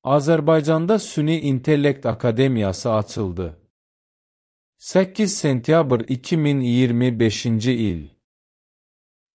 Azərbaycanda Süni İntellekt Akademiyası açıldı. 8 sentyabr 2025-ci il.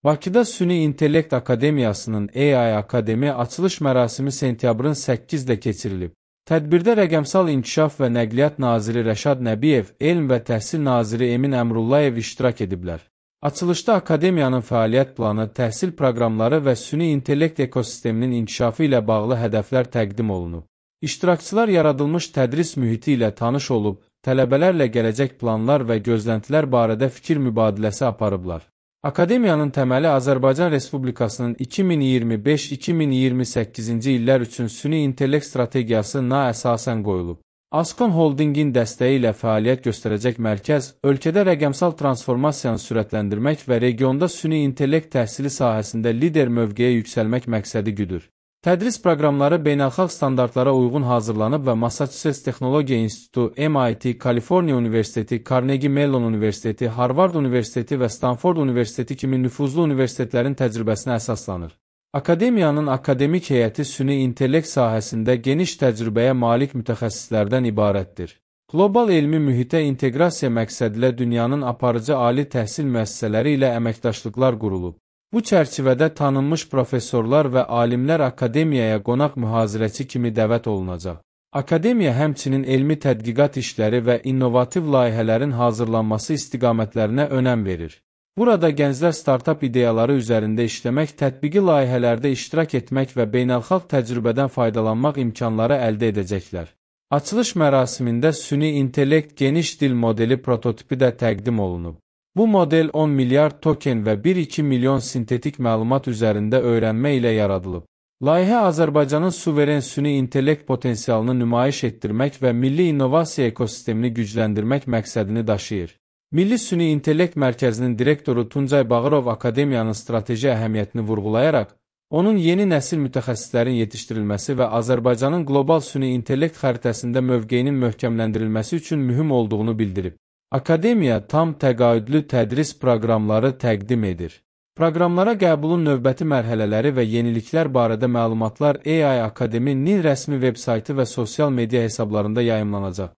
Bakıda Süni İntellekt Akademiyasının AI Akademi açılış mərasimi sentyabrın 8-də keçirilib. Tədbirdə Rəqəmsal İnkişaf və Nəqliyyat Naziri Rəşad Nəbiyev, Elm və Təhsil Naziri Emin Əmrullayev iştirak ediblər. Açılışda Akademiyanın fəaliyyət planı, təhsil proqramları və süni intellekt ekosisteminin inkişafı ilə bağlı hədəflər təqdim olunub. İştirakçılar yaradılmış tədris mühiti ilə tanış olub, tələbələrlə gələcək planlar və gözləntilər barədə fikir mübadiləsi aparıblar. Akademiyanın təməli Azərbaycan Respublikasının 2025-2028-ci illər üçün süni intellekt strategiyasına əsasən qoyulub. Ascon Holdingin dəstəyi ilə fəaliyyət göstərəcək mərkəz, ölkədə rəqəmsal transformasiyanı sürətləndirmək və regionda süni intellekt təhsili sahəsində lider mövqeyə yüksəlmək məqsədi güdür. Tədris proqramları beynəlxalq standartlara uyğun hazırlanıb və Massachusetts Texnologiya İnstitutu, MIT, Kaliforniya Universiteti, Carnegie Mellon Universiteti, Harvard Universiteti və Stanford Universiteti kimi nüfuzlu universitetlərin təcrübəsinə əsaslanır. Akademiyanın akademik heyəti süni intellekt sahəsində geniş təcrübəyə malik mütəxəssislərdən ibarətdir. Qlobal elmi mühitə inteqrasiya məqsədilə dünyanın aparıcı ali təhsil müəssisələri ilə əməkdaşlıqlar qurulub. Bu çərçivədə tanınmış professorlar və alimlər akademiyaya qonaq mühazirəçi kimi dəvət olunacaq. Akademiya həmçinin elmi tədqiqat işləri və innovativ layihələrin hazırlanması istiqamətlərinə önəm verir. Burada gənclər startap ideyaları üzərində işləmək, tətbiqi layihələrdə iştirak etmək və beynəlxalq təcrübədən faydalanmaq imkanları əldə edəcəklər. Açılış mərasimində süni intellekt geniş dil modeli prototipi də təqdim olunub. Bu model 10 milyard token və 1-2 milyon sintetik məlumat üzərində öyrənmə ilə yaradılıb. Layihə Azərbaycanın suveren süni intellekt potensialını nümayiş etdirmək və milli innovasiya ekosistemini gücləndirmək məqsədini daşıyır. Milli Süni İntellekt Mərkəzinin direktoru Tuncay Bağırov Akademiyanın strateji əhəmiyyətini vurğulayaraq, onun yeni nəsil mütəxəssislərin yetişdirilməsi və Azərbaycanın qlobal süni intellekt xəritəsində mövqeyinin möhkəmləndirilməsi üçün mühüm olduğunu bildirib. Akademiya tam təqaüdlü tədris proqramları təqdim edir. Proqramlara qəbulun növbəti mərhələləri və yeniliklər barədə məlumatlar AI Akademinin rəsmi veb saytı və sosial media hesablarında yayımlanacaq.